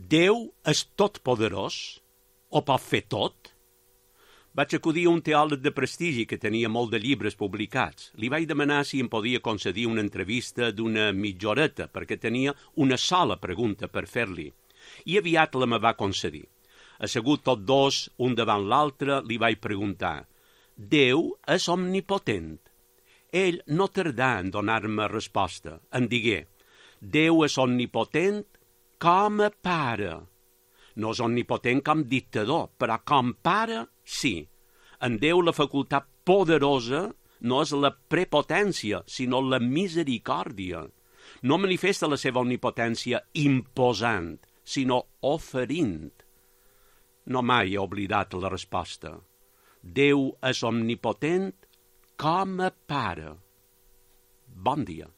Déu és totpoderós? O pot fer tot? Vaig acudir a un teòleg de prestigi que tenia molt de llibres publicats. Li vaig demanar si em podia concedir una entrevista d'una mitja horeta, perquè tenia una sola pregunta per fer-li. I aviat la me va concedir. Assegut tots dos, un davant l'altre, li vaig preguntar: Déu és omnipotent? Ell no tardà en donar-me resposta. Em digué: Déu és omnipotent com a pare. No és omnipotent com dictador, però com pare, sí. En Déu la facultat poderosa no és la prepotència, sinó la misericòrdia. No manifesta la seva omnipotència imposant, sinó oferint. No mai he oblidat la resposta. Déu és omnipotent com a pare. Bon dia.